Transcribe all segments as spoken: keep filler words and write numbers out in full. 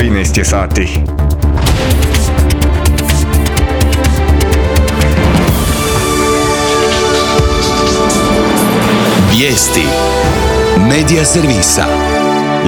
trinaest je sati. Vijesti Medija servisa.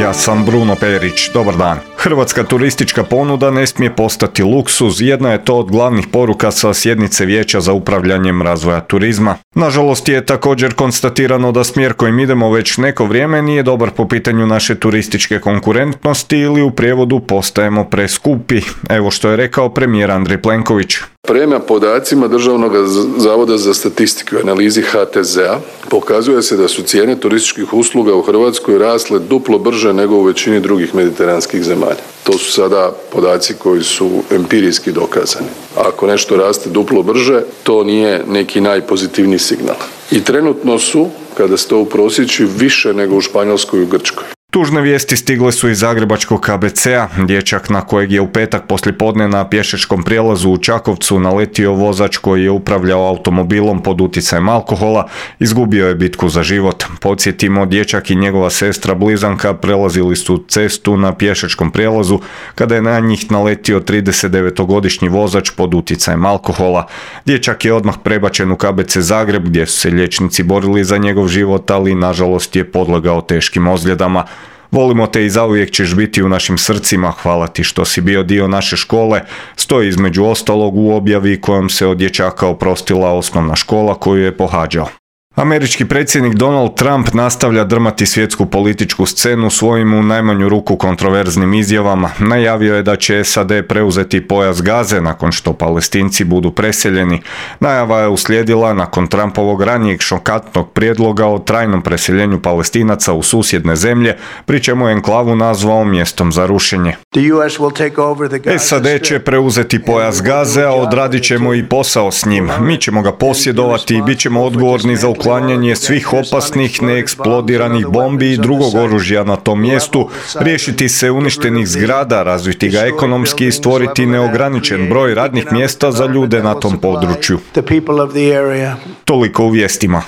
Ja sam Bruno Perić, dobar dan. Hrvatska turistička ponuda ne smije postati luksuz, jedna je to od glavnih poruka sa sjednice Vijeća za upravljanjem razvoja turizma. Nažalost je također konstatirano da smjer kojim idemo već neko vrijeme nije dobar po pitanju naše turističke konkurentnosti ili u prijevodu postajemo preskupi. Evo što je rekao premijer Andrej Plenković. Prema podacima Državnog zavoda za statistiku i analizi H T Z-a pokazuje se da su cijene turističkih usluga u Hrvatskoj rasle duplo brže nego u većini drugih mediteranskih zemalja. To su sada podaci koji su empirijski dokazani. Ako nešto raste duplo brže, to nije neki najpozitivniji signal. I trenutno su, kada se to uprosječi, više nego u Španjolskoj i u Grčkoj. Tužne vijesti stigle su iz zagrebačkog K B C-a. Dječak na kojeg je u petak poslijepodne na pješačkom prijelazu u Čakovcu naletio vozač koji je upravljao automobilom pod utjecajem alkohola, izgubio je bitku za život. Podsjetimo, dječak i njegova sestra blizanka prelazili su cestu na pješačkom prijelazu kada je na njih naletio tridesetdevetogodišnji vozač pod utjecajem alkohola. Dječak je odmah prebačen u K B C Zagreb gdje su se liječnici borili za njegov život, ali nažalost je podlegao teškim ozljedama. Volimo te i zauvijek ćeš biti u našim srcima, hvala ti što si bio dio naše škole, stoji između ostalog u objavi kojom se od dječaka oprostila osnovna škola koju je pohađao. Američki predsjednik Donald Trump nastavlja drmati svjetsku političku scenu svojim u najmanju ruku kontroverznim izjavama. Najavio je da će S A D preuzeti pojas Gaze nakon što Palestinci budu preseljeni. Najava je uslijedila nakon Trumpovog ranijeg šokantnog prijedloga o trajnom preseljenju Palestinaca u susjedne zemlje, pri čemu je enklavu nazvao mjestom za rušenje. S A D će preuzeti pojas Gaze, a odradit ćemo i posao s njim. Mi ćemo ga posjedovati i bit ćemo odgovorni za uklanjanje svih opasnih, neeksplodiranih bombi i drugog oružja na tom mjestu, riješiti se uništenih zgrada, razviti ga ekonomski i stvoriti neograničen broj radnih mjesta za ljude na tom području. Toliko u vijestima.